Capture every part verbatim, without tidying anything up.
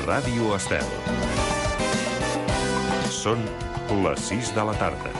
Ràdio Estel. Són les sis de la tarda.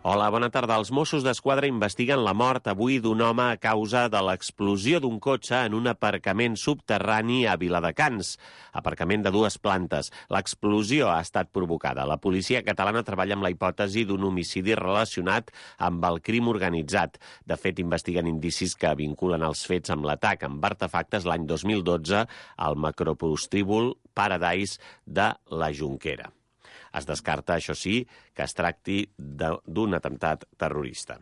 Hola, bona tarda. Els Mossos d'Esquadra investiguen la mort avui d'un home a causa de l'explosió d'un cotxe en un aparcament subterrani a Viladecans, aparcament de dues plantes. L'explosió ha estat provocada. La policia catalana treballa amb la hipòtesi d'un homicidi relacionat amb el crim organitzat. De fet, investiguen indicis que vinculen els fets amb l'atac amb artefactes l'any dos mil dotze al macroprostíbul Paradise de la Jonquera. Es descarta, això sí, que es tracti d'un atemptat terrorista.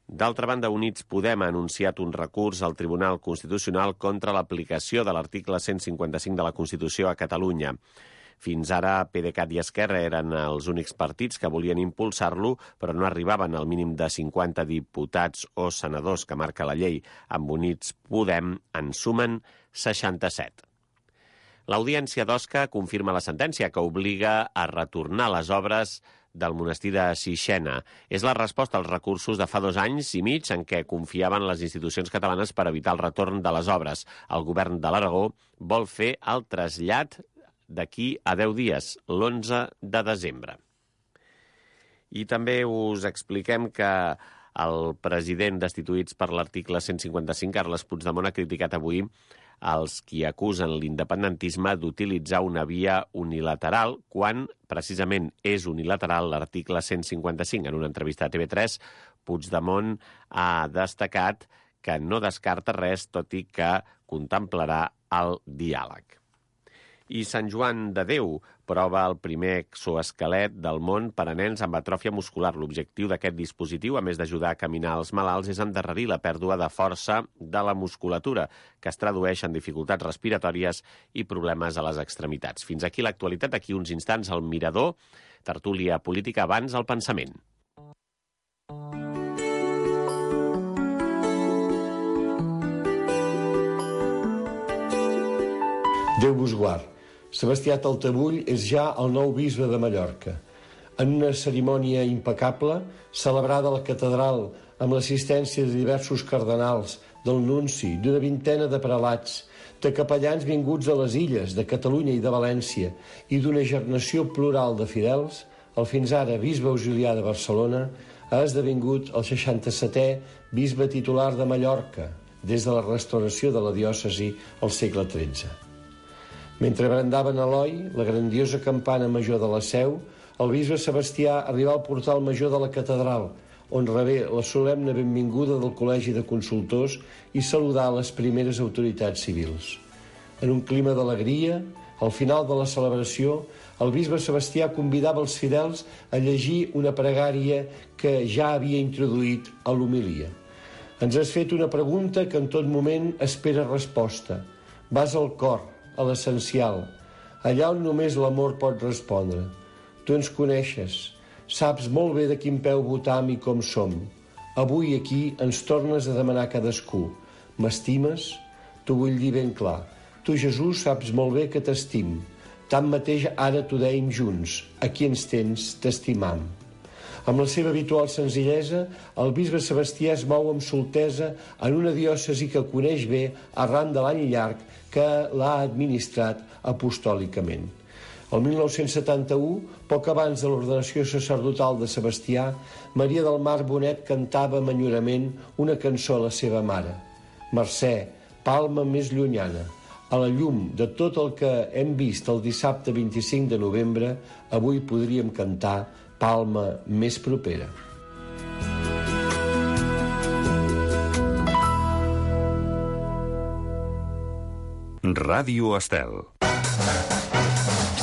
D'altra banda, Units Podem ha anunciat un recurs al Tribunal Constitucional contra l'aplicació de l'article cent cinquanta-cinc de la Constitució a Catalunya. Fins ara, PDeCAT i Esquerra eren els únics partits que volien impulsar-lo, però no arribaven al mínim de cinquanta diputats o senadors que marca la llei. Amb Units Podem en sumen seixanta-set. L'Audiència d'Osca confirma la sentència que obliga a retornar les obres del monestir de Sixena. És la resposta als recursos de fa dos anys i mig en què confiaven les institucions catalanes per evitar el retorn de les obres. El govern de l'Aragó vol fer el trasllat d'aquí a deu dies, l'onze de desembre. I també us expliquem que el president destituïts per l'article cent cinquanta-cinc, Carles Puigdemont, ha criticat avui els qui acusen l'independentisme d'utilitzar una via unilateral quan, precisament, és unilateral l'article cent cinquanta-cinc. En una entrevista a T V tres, Puigdemont ha destacat que no descarta res, tot i que contemplarà el diàleg. I Sant Joan de Déu prova el primer exoesquelet del món per a nens amb atròfia muscular. L'objectiu d'aquest dispositiu, a més d'ajudar a caminar els malalts, és endarrerir la pèrdua de força de la musculatura, que es tradueix en dificultats respiratòries i problemes a les extremitats. Fins aquí l'actualitat. D'aquí uns instants al Mirador, tertúlia política abans al pensament. Déu vos guard. Sebastià Taltabull és ja el nou bisbe de Mallorca. En una cerimònia impecable, celebrada a la catedral amb l'assistència de diversos cardenals, del nunci, d'una vintena de prelats, de capellans vinguts de les illes, de Catalunya i de València, i d'una generació plural de fidels, el fins ara bisbe auxiliar de Barcelona ha esdevingut el seixanta-setè bisbe titular de Mallorca, des de la restauració de la diòcesi al segle tretze. Mentre brandaven a Eloi, la grandiosa campana major de la Seu, el bisbe Sebastià arribà al portal major de la catedral, on rebé la solemne benvinguda del Col·legi de Consultors i saludà les primeres autoritats civils. En un clima d'alegria, al final de la celebració, el bisbe Sebastià convidava els fidels a llegir una pregària que ja havia introduït a l'homilia. Ens has fet una pregunta que en tot moment espera resposta. Vas al cor, a l'essencial, allà on només l'amor pot respondre. Tu ens coneixes, saps molt bé de quin peu votam i com som. Avui aquí ens tornes a demanar cadascú. M'estimes? T'ho vull dir ben clar. Tu, Jesús, saps molt bé que t'estim. Tanmateix ara t'ho dèiem junts. Aquí ens tens, t'estimam. Amb la seva habitual senzillesa, el bisbe Sebastià es mou amb soltesa en una diòcesi que coneix bé arran de l'any llarg que l'ha administrat apostòlicament. El mil nou-cents setanta-u, poc abans de l'ordenació sacerdotal de Sebastià, Maria del Mar Bonet cantava amb enyorament una cançó a la seva mare. Mercè, palma més llunyana. A la llum de tot el que hem vist el dissabte vint-i-cinc de novembre, avui podríem cantar palma més propera. Ràdio Estel.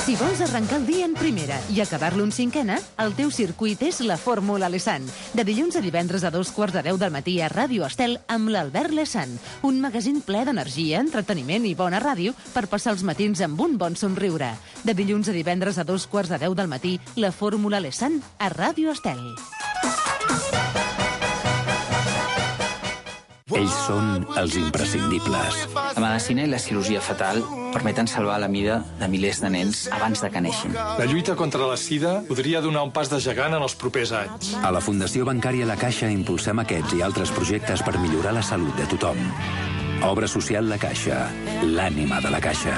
Si vols arrencar el dia en primera i acabar-lo en cinquena, el teu circuit és la Fórmula Lesan. De dilluns a divendres a dos quarts de deu del matí a Ràdio Estel amb l'Albert Lesan. Un magazín ple d'energia, entreteniment i bona ràdio per passar els matins amb un bon somriure. De dilluns a divendres a dos quarts de deu del matí, la Fórmula Lesan a Ràdio Estel. Ells són els imprescindibles. La medicina i la cirurgia fetal permeten salvar la vida de milers de nens abans de que neixin. La lluita contra la sida podria donar un pas de gegant en els propers anys. A la Fundació Bancària La Caixa impulsem aquests i altres projectes per millorar la salut de tothom. Obra social La Caixa, l'ànima de la Caixa.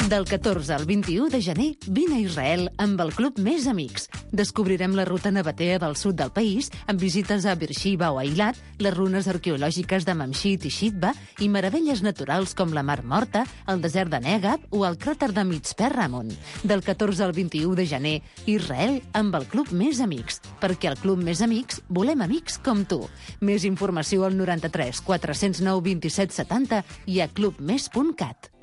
Del catorze al vint-i-u de gener, vine a Israel amb el Club Més Amics. Descobrirem la ruta nabatea del sud del país, amb visites a Beersheba o a Eilat, les runes arqueològiques de Mamshit i Shitba i meravelles naturals com la Mar Morta, el desert de Negab o el cràter de Mitzpe Ramon. Del catorze al vint-i-u de gener, Israel amb el Club Més Amics. Perquè al Club Més Amics volem amics com tu. Més informació al noranta-tres quatre-cents nou vint-i-set setanta i a clubmes punt cat.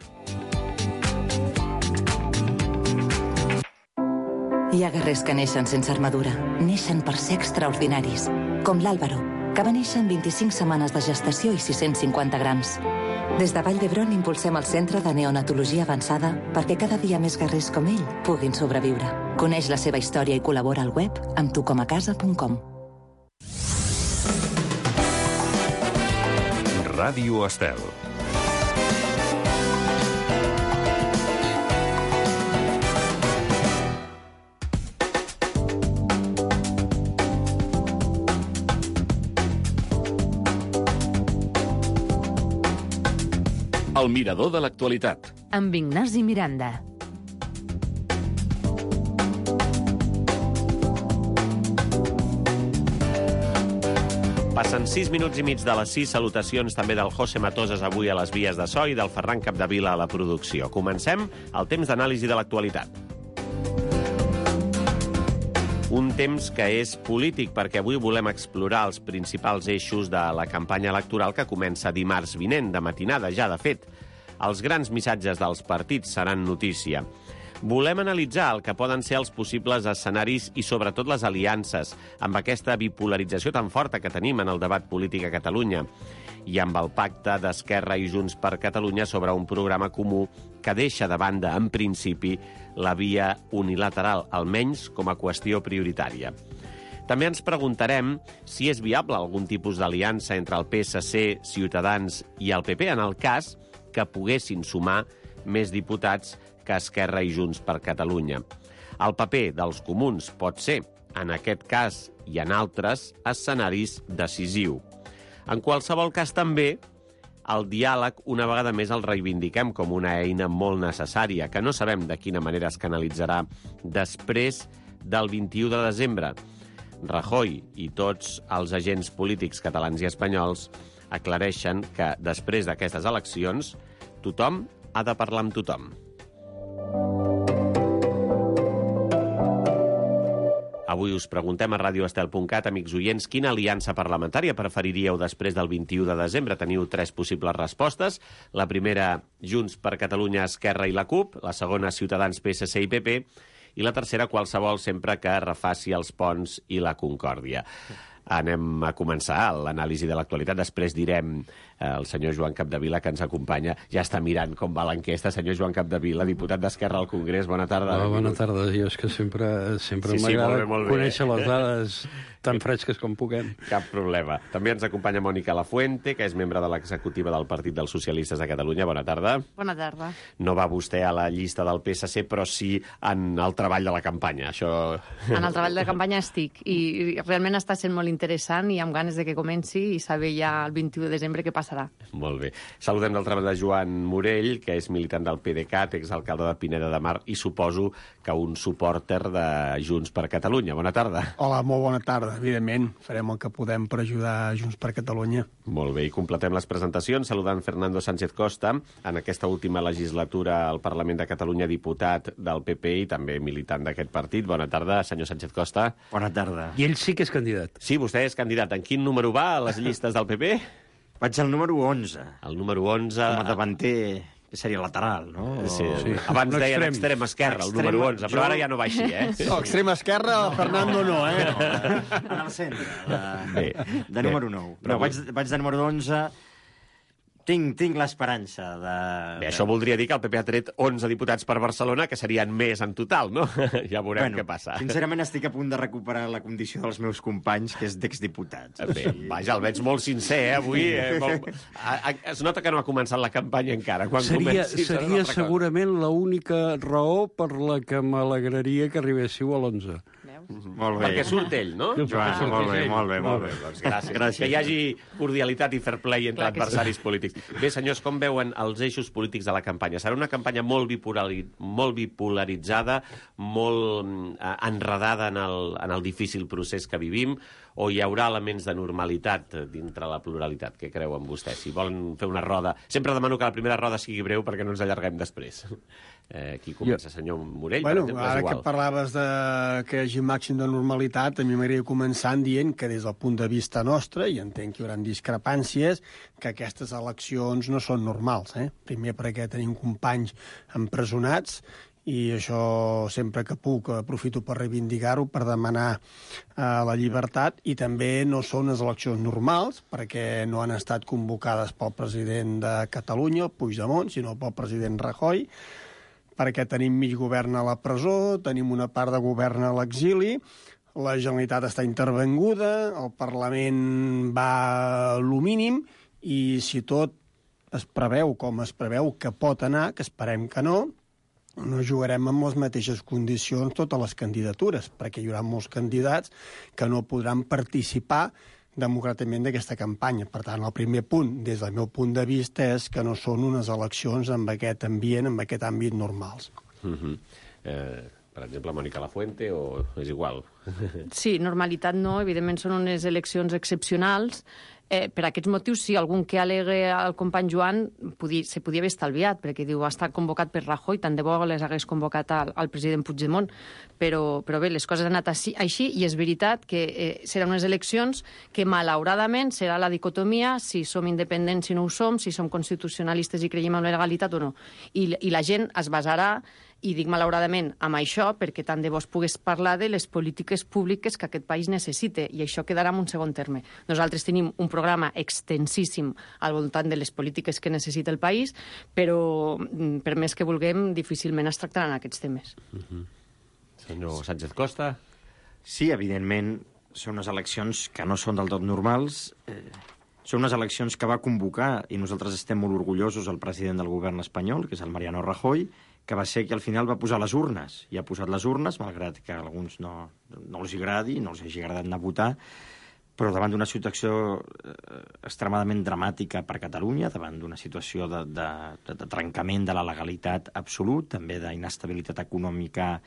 Hi ha guerrers que neixen sense armadura. Neixen per ser extraordinaris. Com l'Àlvaro, que va néixer en vint-i-cinc setmanes de gestació i sis-cents cinquanta grams. Des de Vall d'Hebron impulsem el Centre de Neonatologia Avançada perquè cada dia més guerrers com ell puguin sobreviure. Coneix la seva història i col·labora al web amb tu com a casa punt com. Ràdio Estel. El mirador de l'actualitat. Amb Ignasi Miranda. Passen sis minuts i mig de les sis. Salutacions també del José Matoses avui a les vies de so i del Ferran Capdevila a la producció. Comencem el temps d'anàlisi de l'actualitat. Un temps que és polític, perquè avui volem explorar els principals eixos de la campanya electoral que comença dimarts vinent, de matinada ja, de fet. Els grans missatges dels partits seran notícia. Volem analitzar el que poden ser els possibles escenaris i sobretot les aliances, amb aquesta bipolarització tan forta que tenim en el debat polític a Catalunya, i amb el pacte d'Esquerra i Junts per Catalunya sobre un programa comú que deixa de banda, en principi, la via unilateral, almenys com a qüestió prioritària. També ens preguntarem si és viable algun tipus d'aliança entre el P S C, Ciutadans i el P P, en el cas que poguessin sumar més diputats que Esquerra i Junts per Catalunya. El paper dels comuns pot ser, en aquest cas i en altres, escenaris decisiu. En qualsevol cas, també, el diàleg una vegada més el reivindiquem com una eina molt necessària, que no sabem de quina manera es canalitzarà després del vint-i-u de desembre. Rajoy i tots els agents polítics catalans i espanyols aclareixen que després d'aquestes eleccions tothom ha de parlar amb tothom. Avui us preguntem a radio estel punt cat, amics oients, quina aliança parlamentària preferiríeu després del vint-i-u de desembre? Teniu tres possibles respostes. La primera, Junts per Catalunya, Esquerra i la CUP. La segona, Ciutadans, P S C i P P. I la tercera, qualsevol, sempre que refaci els ponts i la concòrdia. Anem a començar l'anàlisi de l'actualitat. Després direm eh, el senyor Joan Capdevila, que ens acompanya. Ja està mirant com va l'enquesta. Senyor Joan Capdevila, diputat d'Esquerra al Congrés, bona tarda. Oh, bona tarda. Jo és que sempre, sempre sí, sí, m'agrada molt bé, molt bé. conèixer les dades tan fresques com puguem. Cap problema. També ens acompanya Mònica Lafuente, que és membre de l'executiva del Partit dels Socialistes de Catalunya. Bona tarda. Bona tarda. No va vostè a la llista del P S C, però sí en el treball de la campanya. Això... En el treball de campanya estic, i realment està sent molt interessant i amb ganes de que comenci i saber ja el vint-i-u de desembre què passarà. Molt bé. Saludem d'altra banda Joan Morell, que és militant del P D cat, exalcalde de Pineda de Mar, i suposo que un supòrter de Junts per Catalunya. Bona tarda. Hola, molt bona tarda. Evidentment, farem el que podem per ajudar Junts per Catalunya. Molt bé, i completem les presentacions saludant Fernando Sánchez Costa, en aquesta última legislatura al Parlament de Catalunya, diputat del P P i també militant d'aquest partit. Bona tarda, senyor Sánchez Costa. Bona tarda. I ell sí que és candidat. Sí, vostè és candidat. En quin número va a les llistes del P P? Vaig al número onze. El número onze... Com a davanter... que seria lateral, no? Sí, sí. Abans no, deien extrem esquerra, el número onze, però ara ja no va així, eh? No, extrem esquerra, no, Fernando no, no eh? No, en el centre, de, de número nou. Però vaig, vaig de número onze... Tinc, tinc l'esperança de... Bé, això voldria dir que el P P ha tret onze diputats per Barcelona, que serien més en total, no? Ja veurem bueno, què passa. Sincerament estic a punt de recuperar la condició dels meus companys, que és d'exdiputats. Bé, vaja, el veig molt sincer, eh, avui. Eh, molt... Es nota que no ha començat la campanya encara. Quan seria comenci, seria segurament l'única raó per la que m'alegraria que arribéssiu a l'onze. Molt bé. Perquè surt ell, no? Joan, molt bé, molt bé, molt bé. Doncs gràcies. Gràcies. Que hi hagi cordialitat i fair play entre Clar que sí. adversaris polítics. Bé, senyors, com veuen els eixos polítics de la campanya? Serà una campanya molt, bipolari... molt bipolaritzada, molt eh, enredada en el, en el difícil procés que vivim, o hi haurà elements de normalitat dintre la pluralitat? Què creuen vostès? Si volen fer una roda... Sempre demano que la primera roda sigui breu perquè no ens allarguem després. Eh, qui comença, senyor Morell? Bueno, per exemple, ara és igual. que parlaves de que hi hagi màxim de normalitat, a mi m'agradaria començar dient que des del punt de vista nostre, i entenc que hi haurà discrepàncies, que aquestes eleccions no són normals. Eh? Primer perquè tenim companys empresonats, i això sempre que puc aprofito per reivindicar-ho, per demanar eh, la llibertat, i també no són unes eleccions normals, perquè no han estat convocades pel president de Catalunya, el Puigdemont, sinó pel president Rajoy, perquè tenim mig govern a la presó, tenim una part de govern a l'exili, la Generalitat està intervenguda, el Parlament va a lo mínim, i si tot es preveu com es preveu que pot anar, que esperem que no, no jugarem amb les mateixes condicions totes les candidatures, perquè hi haurà molts candidats que no podran participar democràticament d'aquesta campanya. Per tant, el primer punt, des del meu punt de vista, és que no són unes eleccions amb aquest ambient, amb aquest àmbit normals. Uh-huh. eh, per exemple, Mònica Lafuente, o és igual? Sí, normalitat no, evidentment són unes eleccions excepcionals. Eh, per aquests motius, sí, algun que alegue al company Joan podia, se podia haver estalviat, perquè diu ha estat convocat per Rajoy, tant de bo les hagués convocat al, al president Puigdemont, però, però bé, les coses han anat així, així i és veritat que eh, seran unes eleccions que, malauradament, serà la dicotomia si som independents, si no ho som, si som constitucionalistes i creiem en la legalitat o no. I, i la gent es basarà, i dic malauradament, amb això, perquè tant de bo es pogués parlar de les polítiques públiques que aquest país necessita, i això quedarà en un segon terme. Nosaltres tenim un programa extensíssim al voltant de les polítiques que necessita el país, però per més que vulguem, difícilment es tractaran aquests temes. Uh-huh. Senyor Sánchez Costa? Sí, evidentment, són unes eleccions que no són del tot normals. Eh, són unes eleccions que va convocar, i nosaltres estem molt orgullosos, el president del govern espanyol, que és el Mariano Rajoy, que va ser que al final va posar les urnes, i ha posat les urnes, malgrat que a alguns no, no els agradi, no els hagi agradat anar a votar, però davant d'una situació eh, extremadament dramàtica per Catalunya, davant d'una situació de, de, de, de trencament de la legalitat absolut, també d'inestabilitat econòmica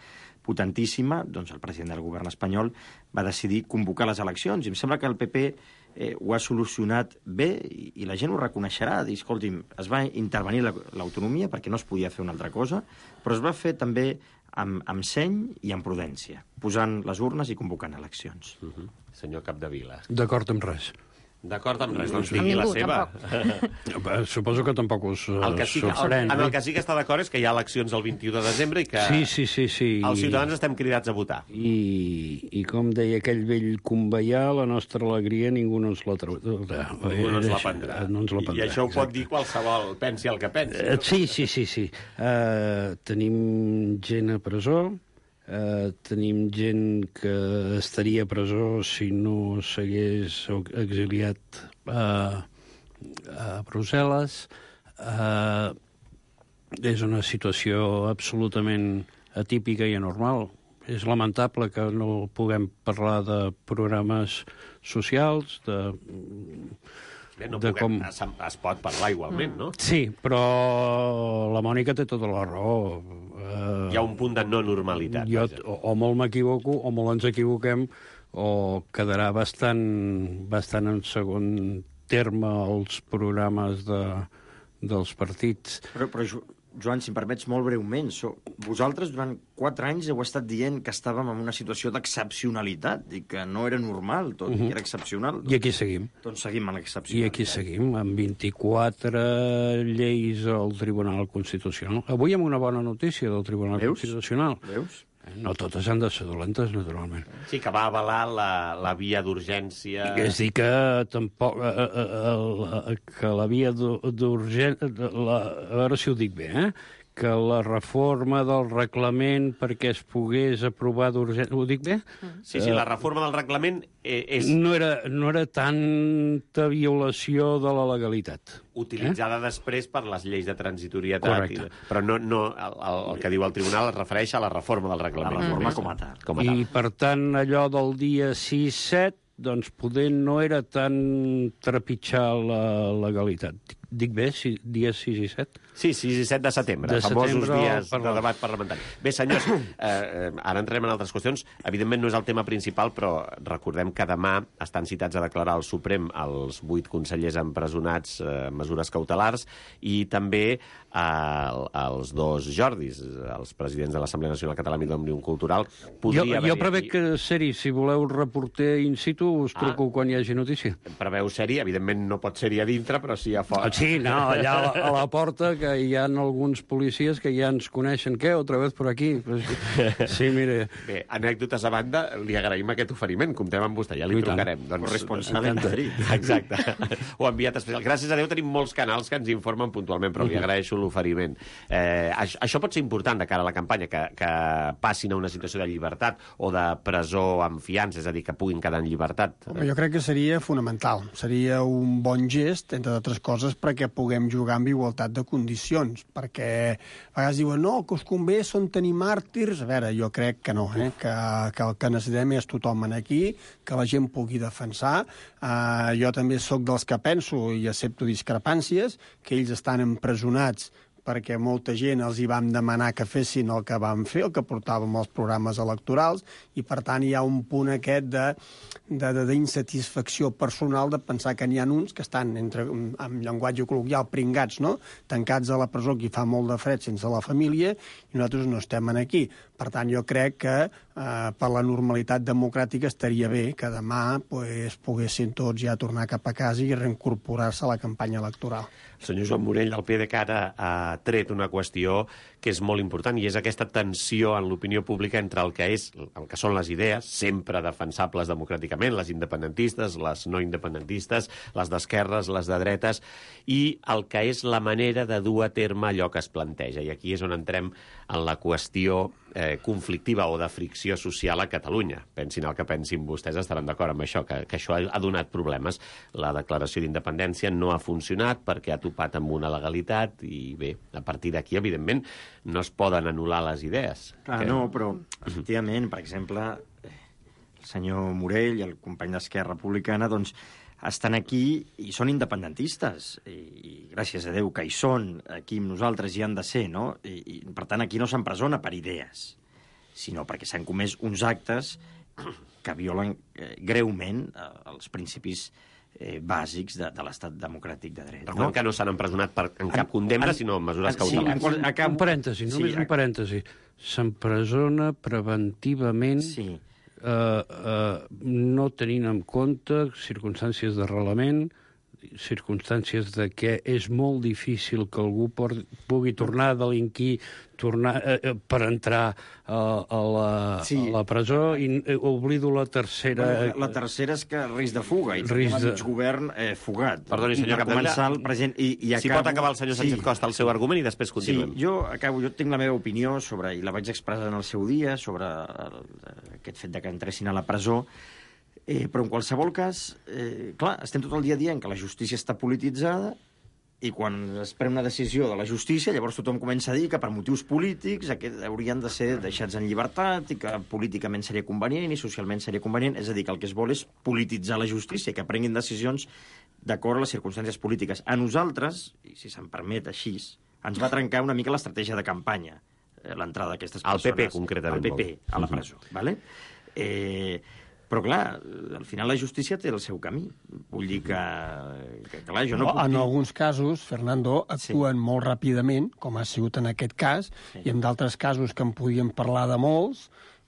potentíssima, doncs el president del govern espanyol va decidir convocar les eleccions, i em sembla que el P P eh, ho ha solucionat bé, i, i la gent ho reconeixerà, dir, escolti'm, es va intervenir l'autonomia perquè no es podia fer una altra cosa, però es va fer també amb, amb seny i amb prudència, posant les urnes i convocant eleccions. Uh-huh. Senyor Capdevila. D'acord amb res. D'acord amb res, doncs digui la seva. Suposo que tampoc us el que sí, sorprèn. En el que sí que està d'acord és que hi ha eleccions el vint-i-u de desembre i que sí, sí, sí, sí. els ciutadans estem cridats a votar. I, i com deia aquell vell conveià, la nostra alegria ningú no ens la traurà. Ningú no ens la prendrà. No ens la prendrà. I això ho pot dir qualsevol, pensi el que pensi. Uh, sí, sí, sí. sí. Uh, tenim gent a presó, Uh, tenim gent que estaria a presó si no s'hagués exiliat uh, a Brussel·les. Uh, és una situació absolutament atípica i anormal. És lamentable que no puguem parlar de programes socials, de... Bé, no de puguem, com... es, es pot parlar igualment, no? Sí, però la Mònica té tota la raó. Uh, Hi ha un punt de no normalitat. Jo, o, o molt m'equivoco, o molt ens equivoquem, o quedarà bastant, bastant en segon terme els programes de, dels partits. Però, però Joan, si em permets molt breument, so, vosaltres durant quatre anys heu estat dient que estàvem en una situació d'excepcionalitat i que no era normal tot, uh-huh. que era excepcional. I aquí seguim. Doncs seguim en l'excepcionalitat. I aquí seguim, amb vint-i-quatre lleis al Tribunal Constitucional. Avui amb una bona notícia del Tribunal Veus? Constitucional. Veus? No totes han de ser dolentes, naturalment. Sí, que va avalar la, la via d'urgència... És dir, que tampoc... Eh, eh, eh, que la via d'urgència... A veure si ho dic bé, eh? que la reforma del reglament perquè es pogués aprovar d'urgència... Ho dic bé? Sí, sí, la reforma del reglament és... No era, no era tanta violació de la legalitat. Utilitzada eh? després per les lleis de transitorietat. I, però no, no el, el que diu el tribunal es refereix a la reforma del reglament. La reforma com a tal. Com a tal. I, per tant, allò del dia sis set, doncs poder no era tan trepitjar la legalitat. Dic bé, si, dies sis i set? Sí, sis i set de setembre, de famosos setembre dies per... de debat parlamentari. Bé, senyors, eh, ara entrem en altres qüestions. Evidentment no és el tema principal, però recordem que demà estan citats a declarar al Suprem els vuit consellers empresonats eh, en mesures cautelars i també eh, els dos Jordis, els presidents de l'Assemblea Nacional Catalana i d'Òmnium Cultural. Jo, jo prevec que, Seri, si voleu reporter in situ, us truco ah, quan hi hagi notícia. Preveu sèrie, evidentment no pot ser-hi a dintre, però sí a fora. Sí, no, allà a la, a la porta, que hi ha alguns policies que ja ens coneixen. Què? Otra vez por aquí? Sí, mire. Bé, anècdotes a banda, li agraïm aquest oferiment. Comptem amb vostè, ja li trucarem. Doncs, corresponsal en Madrid. Exacte. O enviat especial. Gràcies a Déu tenim molts canals que ens informen puntualment, però li agraeixo l'oferiment. Eh, això, això pot ser important de cara a la campanya, que, que passin a una situació de llibertat o de presó amb fiança, és a dir, que puguin quedar en llibertat. Home, jo crec que seria fonamental. Seria un bon gest, entre altres coses, perquè puguem jugar amb igualtat de condicions, perquè a vegades diuen, no, que us convé són tenir màrtirs. A veure, jo crec que no, eh? que, que el que necessitem és tothom aquí, que la gent pugui defensar. Uh, jo també sóc dels que penso i accepto discrepàncies, que ells estan empresonats perquè molta gent els hi vam demanar que fessin el que vam fer, el que portàvem als programes electorals, i per tant hi ha un punt aquest de, de, de, d'insatisfacció personal de pensar que n'hi ha uns que estan, entre, amb llenguatge col·loquial, pringats, no? Tancats a la presó, que hi fa molt de fred sense la família, i nosaltres no estem aquí. Per tant, jo crec que eh, per la normalitat democràtica estaria bé que demà pues, poguessin tots ja tornar cap a casa i reincorporar-se a la campanya electoral. El senyor Joan Morell, al PDeCAT, ha tret una qüestió que és molt important, i és aquesta tensió en l'opinió pública entre el que, és, el que són les idees, sempre defensables democràticament, les independentistes, les no independentistes, les d'esquerres, les de dretes, i el que és la manera de dur a terme allò que es planteja. I aquí és on entrem en la qüestió eh, conflictiva o de fricció social a Catalunya. Pensin el que pensin vostès, estaran d'acord amb això, que, que això ha donat problemes. La declaració d'independència no ha funcionat perquè ha topat amb una legalitat i bé, a partir d'aquí, evidentment, no es poden anul·lar les idees. Clar, que... no, però, efectivament, per exemple, el senyor Morell i el company d'Esquerra Republicana, doncs, estan aquí i són independentistes, i, i gràcies a Déu que hi són, aquí amb nosaltres hi han de ser, no? I, i per tant, aquí no s'empresona per idees, sinó perquè s'han comès uns actes que violen eh, greument eh, els principis eh, bàsics de, de l'estat democràtic de dret. Recordem no? que no s'han empresonat per, en cap condemna, en, sinó en mesures en, cautelars. Sí, en, en, un parèntesi, només sí, un parèntesi. S'empresona preventivament... Sí. Uh, uh, no tenint en compte circumstàncies d'arrelament, circumstàncies de que és molt difícil que algú por, pugui tornar a delinquir tornar, eh, per entrar a, a, la, sí. a la presó, i eh, oblido la tercera... Bueno, la tercera és que risc de fuga, i risc de... mig govern eh, fugat. Perdoni, senyor Capdevila, el present, i, i acabo... si pot acabar el senyor Sánchez sí. Costa el seu argument i després continuem. Sí, jo acabo, jo tinc la meva opinió sobre, i la vaig expressar en el seu dia, sobre el, aquest fet de que entressin a la presó, eh, però en qualsevol cas, eh, clar, estem tot el dia dient que la justícia està polititzada, i quan es pren una decisió de la justícia, llavors tothom comença a dir que per motius polítics aquest haurien de ser deixats en llibertat i que políticament seria convenient i socialment seria convenient. És a dir, que el que es vol és polititzar la justícia, que prenguin decisions d'acord a les circumstàncies polítiques. A nosaltres, i si se'm permet així, ens va trencar una mica l'estratègia de campanya, l'entrada d'aquestes persones. Al P P, concretament. Al P P, a la presó. Uh-huh. Vale? Eh... Però, clar, al final la justícia té el seu camí. Vull dir que, que clar, jo no, no puc en dir... alguns casos, Fernando, actuen sí. molt ràpidament, com ha sigut en aquest cas, sí. i en d'altres casos que en podíem parlar de molts,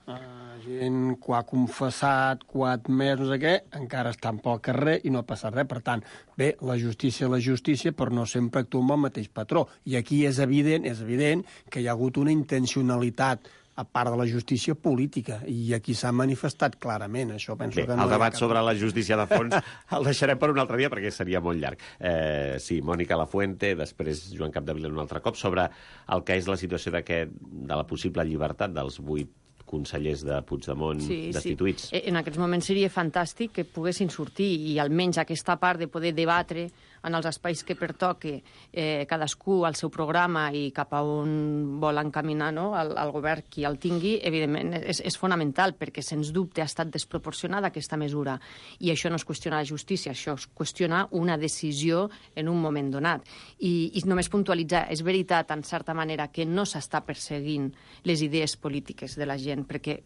eh, gent que ha confessat, que ha admès, no sé què, encara estan pel carrer i no ha passat res. Per tant, bé, la justícia la justícia, però no sempre actua amb el mateix patró. I aquí és evident, és evident que hi ha hagut una intencionalitat a part de la justícia política, i aquí s'ha manifestat clarament. Això penso Bé, que no el debat cap... sobre la justícia de fons el deixarem per un altre dia perquè seria molt llarg. Eh, sí, Mònica Lafuente, després Joan Capdevila un altre cop, sobre el que és la situació de la possible llibertat dels vuit consellers de Puigdemont sí, destituïts. Sí. En aquests moments seria fantàstic que poguessin sortir i almenys aquesta part de poder debatre en els espais que pertoque eh, cadascú al seu programa i cap a on vol encaminar, no? el, el govern qui el tingui, evidentment és, és fonamental, perquè sens dubte ha estat desproporcionada aquesta mesura. I això no és qüestionar la justícia, això és qüestionar una decisió en un moment donat. I, i només puntualitzar, és veritat, en certa manera, que no s'està perseguint les idees polítiques de la gent, perquè,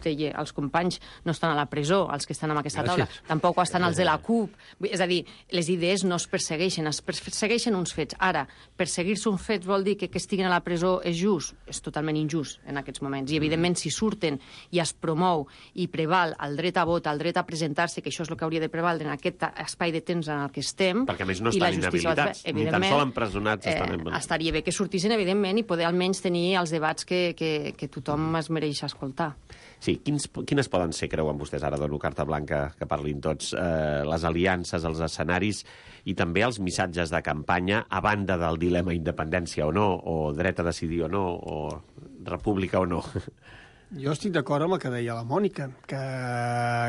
deia, els companys no estan a la presó, els que estan en aquesta taula, Gràcies. tampoc estan els de la CUP. És a dir, les idees no es persegueixen, es persegueixen uns fets. Ara, perseguir-se uns fets vol dir que que estiguin a la presó és just? És totalment injust en aquests moments. I, evidentment, si surten i es promou i preval el dret a vot, el dret a presentar-se, que això és el que hauria de prevaldre en aquest espai de temps en el que estem... Perquè, a més, no i la estan justícia inhabilitats, va- ni tan sols empresonats eh, estan... En... Estaria bé que sortissin, evidentment, i poder almenys tenir els debats que, que, que tothom es mereix escoltar. Sí, quins, quines poden ser, creuen vostès, ara dono carta blanca que parlin tots, eh, les aliances, els escenaris i també els missatges de campanya a banda del dilema independència o no, o dret a decidir o no, o república o no? Jo estic d'acord amb el que deia la Mònica, que,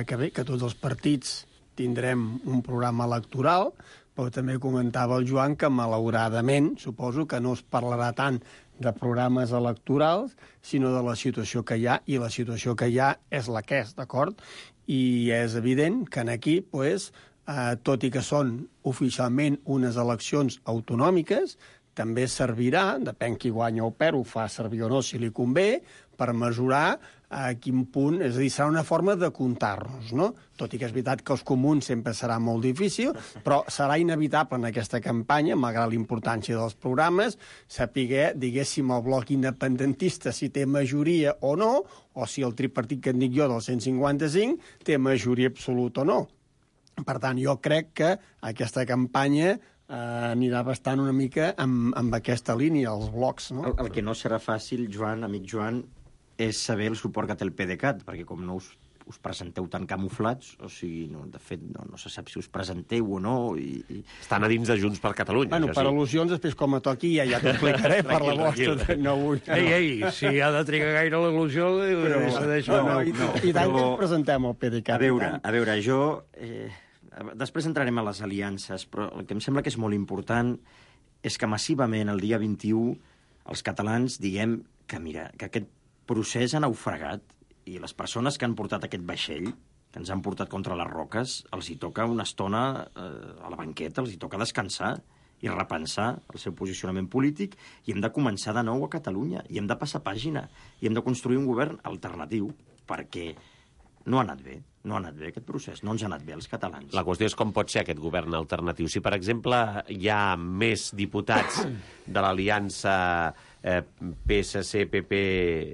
que bé, que tots els partits tindrem un programa electoral, però també comentava el Joan que, malauradament, suposo que no es parlarà tant de programes electorals, sinó de la situació que hi ha, i la situació que hi ha és la que és, d'acord? I és evident que aquí, pues, eh, tot i que són oficialment unes eleccions autonòmiques, també servirà, depèn qui guanya o perd, ho fa servir o no, si li convé, per mesurar a quin punt, és a dir, serà una forma de comptar-nos, no? Tot i que és veritat que els comuns sempre serà molt difícil, però serà inevitable en aquesta campanya, malgrat la importància dels programes, saber, diguéssim, el bloc independentista si té majoria o no, o si el tripartit que en dic jo del cent cinquanta-cinc té majoria absoluta o no. Per tant, jo crec que aquesta campanya eh, anirà bastant una mica amb, amb aquesta línia, els blocs, no? El, el que no serà fàcil, Joan, amic Joan, és saber el suport que té el PDeCAT, perquè com no us, us presenteu tan camuflats, o sigui, no, de fet, no, no se sap si us presenteu o no. I, i... Estan a dins de Junts per Catalunya. Bueno, per sí. Al·lusions, després com a toqui, ja, ja t'ho explicaré per la vostra. No vull. Ei, ei, si ha de trigar gaire l'al·lusió, però... No, no, i, no, i tant que ens presentem al PDeCAT. A veure, a veure, jo... Eh, després entrarem a les aliances, però el que em sembla que és molt important és que massivament el dia vint-i-u els catalans diguem que, mira, que aquest procés ha naufragat i les persones que han portat aquest vaixell, que ens han portat contra les roques, els hi toca una estona eh, a la banqueta, els hi toca descansar i repensar el seu posicionament polític, i hem de començar de nou a Catalunya, i hem de passar pàgina, i hem de construir un govern alternatiu, perquè no ha anat bé, no ha anat bé aquest procés, no ens ha anat bé als catalans. La qüestió és com pot ser aquest govern alternatiu. Si, per exemple, hi ha més diputats de l'aliança eh, P S C, P P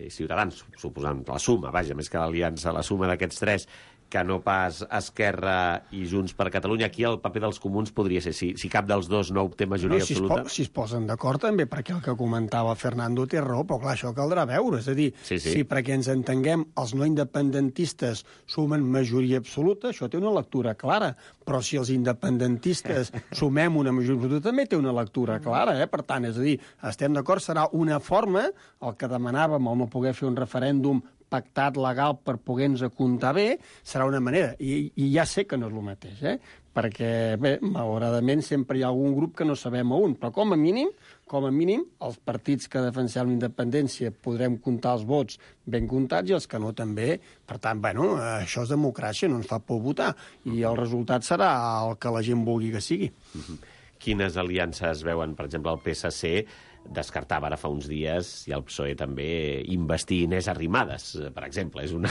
i Ciutadans, suposant la suma, vaja, més que l'aliança, la suma d'aquests tres, que no pas Esquerra i Junts per Catalunya, aquí el paper dels comuns podria ser, si, si cap dels dos no obté majoria no, si absoluta... Es po si es posen d'acord també, perquè el que comentava Fernando té raó, però clar, això caldrà veure, és a dir, sí, sí. si perquè ens entenguem els no independentistes sumen majoria absoluta, això té una lectura clara, però si els independentistes sumem una majoria absoluta també té una lectura clara, eh? Per tant, és a dir, estem d'acord, serà una forma, el que demanàvem, el no poder fer un referèndum pactat legal per poder-nos comptar bé, serà una manera. I, i ja sé que no és el mateix, eh? Perquè, bé, malauradament sempre hi ha algun grup que no sabem a un, però com a mínim, com a mínim, els partits que defensem la independència podrem comptar els vots ben comptats i els que no també. Per tant, bueno, això és democràcia, no ens fa por votar. I el resultat serà el que la gent vulgui que sigui. Mm-hmm. Quines aliances veuen, per exemple, el P S C descartava ara fa uns dies, i el P S O E també, investir Inés Arrimadas, per exemple. És una...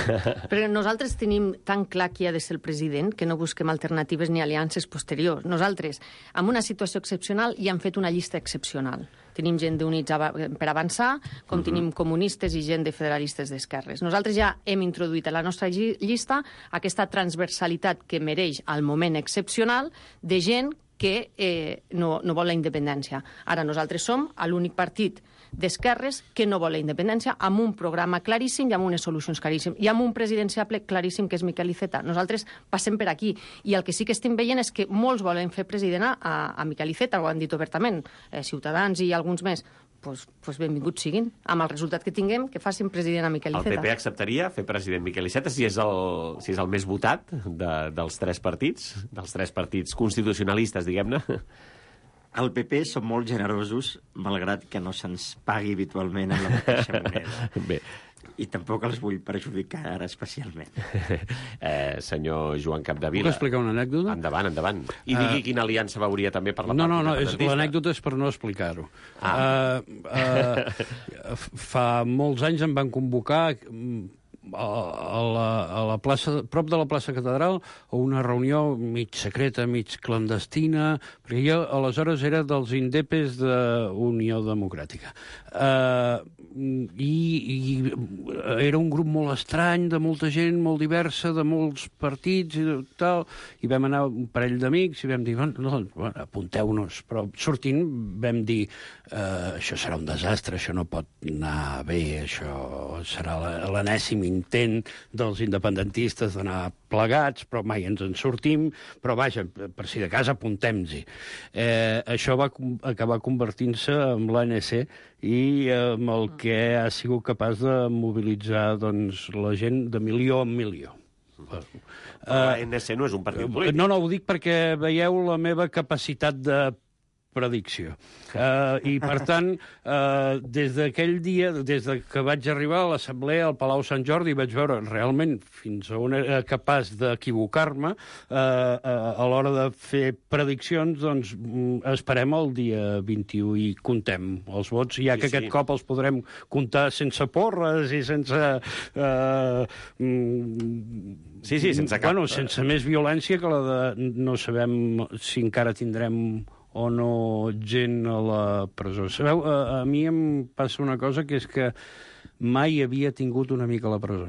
Però nosaltres tenim tan clar qui ha de ser el president que no busquem alternatives ni aliances posteriors. Nosaltres, en una situació excepcional, ja hem fet una llista excepcional. Tenim gent d'Units per Avançar, com uh-huh. tenim comunistes i gent de federalistes d'esquerres. Nosaltres ja hem introduït a la nostra llista aquesta transversalitat que mereix al moment excepcional de gent que eh, no, no vol la independència. Ara nosaltres som l'únic partit d'esquerres que no vol la independència, amb un programa claríssim i amb unes solucions claríssimes. I amb un presidenciable claríssim, que és Miquel Iceta. Nosaltres passem per aquí. I el que sí que estem veient és que molts volen fer president a, a Miquel Iceta, ho han dit obertament, eh, Ciutadans i alguns més. Pues, pues benvinguts siguin. Amb el resultat que tinguem, que facin president a Miquel Iceta. El P P acceptaria fer president Miquel Iceta si és el, si és el més votat de, dels tres partits, dels tres partits constitucionalistes, diguem-ne? El P P som molt generosos, malgrat que no se'ns pagui habitualment en la mateixa moneda. Bé. I tampoc els vull perjudicar ara especialment. eh, senyor Joan Capdevila... Puc explicar una anècdota? Endavant, endavant. I digui uh, quina aliança veuria també per la no, part no, no, independentista. l'anècdota és per no explicar-ho. Ah. Uh, uh, fa molts anys em van convocar a, a, la, a la plaça, prop de la plaça Catedral, a una reunió mig secreta, mig clandestina, perquè jo aleshores era dels indepes d'Unió Democràtica. Uh, i, I era un grup molt estrany, de molta gent, molt diversa, de molts partits i tal, i vam anar un parell d'amics i vam dir, bueno, bueno, apunteu-nos, però sortint vam dir, uh, això serà un desastre, això no pot anar bé, això serà l'enèsim intent dels independentistes d'anar plegats, però mai ens en sortim, però vaja, per si de cas apuntem-hi. Eh, això va acabar convertint-se en l'A N C i amb el que ha sigut capaç de mobilitzar doncs, la gent de milió en milió. Però l'A N C no és un partit polític. No, no, ho dic perquè veieu la meva capacitat de predicció. Uh, I, per tant, uh, des d'aquell dia, des de que vaig arribar a l'Assemblea al Palau Sant Jordi, vaig veure realment fins a on era capaç d'equivocar-me, uh, uh, a l'hora de fer prediccions, doncs esperem el dia vint-i-u i contem els vots, ja que sí, aquest sí. cop els podrem comptar sense porres i sense... Uh, mm, sí, sí, sense cap... Bueno, sense més violència que la de... No sabem si encara tindrem o no gent a la presó. Sabeu, a, a mi em passa una cosa, que és que mai havia tingut un amic a la presó.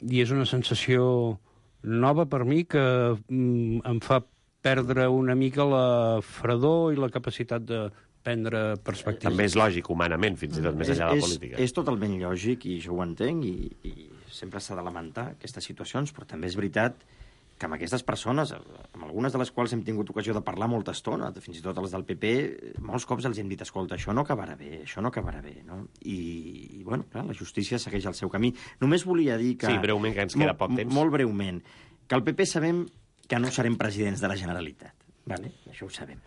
I és una sensació nova per mi que mm, em fa perdre una mica la fredor i la capacitat de prendre perspectives. També és lògic, humanament, fins i tot més enllà de la política. És, és totalment lògic, i jo ho entenc, i, i sempre s'ha de lamentar aquestes situacions, però també és veritat que amb aquestes persones, amb algunes de les quals hem tingut ocasió de parlar molta estona, fins i tot els del P P, molts cops els hem dit, escolta, això no acabarà bé, això no acabarà bé, no? I, i bueno, clar, la justícia segueix el seu camí. Només volia dir que... Sí, breument, que ens queda molt, poc temps. Molt breument, que el P P sabem que no serem presidents de la Generalitat, vale? Això ho sabem.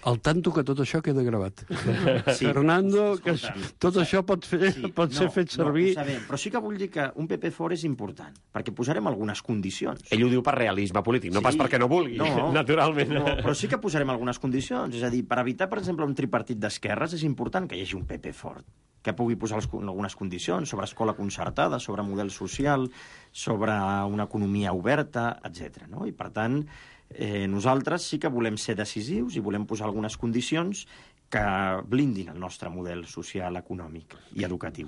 Al tanto que tot això queda gravat. Sí, Fernando, que tot això pot, fer, sí, pot ser no, fet servir... No, ho sabem, però sí que vull dir que un P P fort és important, perquè posarem algunes condicions. Ell ho diu per realisme polític, no sí, pas perquè no vulgui, no, naturalment. No, però sí que posarem algunes condicions, és a dir, per evitar, per exemple, un tripartit d'esquerres, és important que hi hagi un P P fort, que pugui posar algunes condicions sobre escola concertada, sobre model social, sobre una economia oberta, etcètera. No? I, per tant, Eh, nosaltres sí que volem ser decisius i volem posar algunes condicions que blindin el nostre model social, econòmic i educatiu.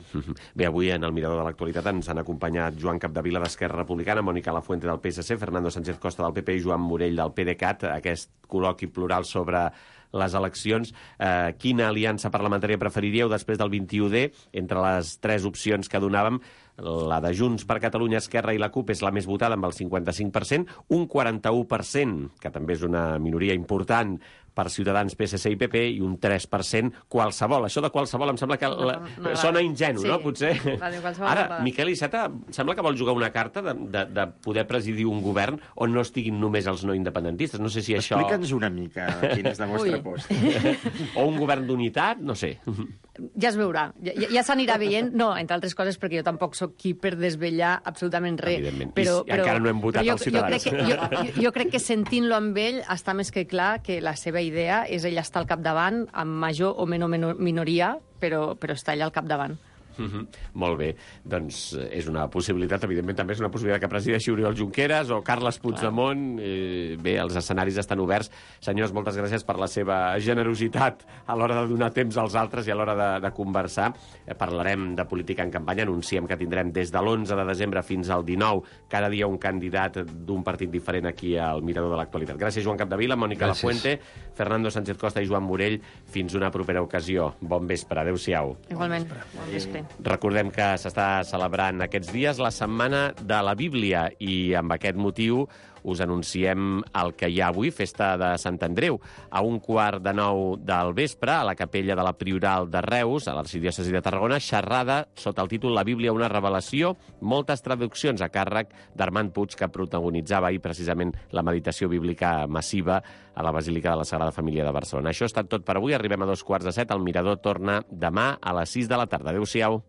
Bé, avui en el Mirador de l'Actualitat ens han acompanyat Joan Capdevila d'Esquerra Republicana, Mònica Lafuente del P S C, Fernando Sánchez Costa del P P i Joan Morell del PDeCAT, aquest col·loqui plural sobre les eleccions. Eh, quina aliança parlamentària preferiríeu després del vint-i-u D? Entre les tres opcions que donàvem, la de Junts per Catalunya, Esquerra i la CUP és la més votada amb el cinquanta-cinc per cent, un quaranta-u per cent, que també és una minoria important, per Ciutadans, P S C i P P, i un tres per cent qualsevol. Això de qualsevol em sembla que la... no, no, sona ingenu, sí, no? Potser. Vale, ara, va. Miquel Iceta sembla que vol jugar una carta de, de, de poder presidir un govern on no estiguin només els no independentistes. No sé si això... Explica'ns una mica quin és la vostra posta. O un govern d'unitat, no sé. Ja es veurà. Ja, ja s'anirà veient. No, entre altres coses, perquè jo tampoc sóc qui per desvetllar absolutament res. Evidentment. Però, I però, encara no hem votat jo, els Ciutadans. Jo crec, que, jo, jo crec que sentint-lo amb ell està més que clar que la seva idea és ell estar al capdavant, amb major o menor minoria, però, però està allà al capdavant. Mm-hmm. Molt bé, doncs és una possibilitat, evidentment també és una possibilitat que presideixi Oriol Junqueras o Carles Puigdemont. Eh, bé, els escenaris estan oberts. Senyors, moltes gràcies per la seva generositat a l'hora de donar temps als altres i a l'hora de, de conversar. Eh, parlarem de política en campanya, anunciem que tindrem des de l'onze de desembre fins al dinou cada dia un candidat d'un partit diferent aquí al Mirador de l'Actualitat. Gràcies, Joan Capdevila, Mònica Gràcies. Lafuente, Fernando Sánchez Costa i Joan Morell. Fins una propera ocasió. Bon vespre, adéu-siau. Igualment, bon vespre. Recordem que s'està celebrant aquests dies la Setmana de la Bíblia i amb aquest motiu us anunciem el que hi ha avui, festa de Sant Andreu. A un quart de nou del vespre, a la capella de la Prioral de Reus, a l'arxidiòcesi de Tarragona, xerrada sota el títol La Bíblia, una revelació, moltes traduccions a càrrec d'Armand Puig, que protagonitzava ahir precisament la meditació bíblica massiva a la Basílica de la Sagrada Família de Barcelona. Això ha estat tot per avui. Arribem a dos quarts de set. El Mirador torna demà a les sis de la tarda. Adéu-siau.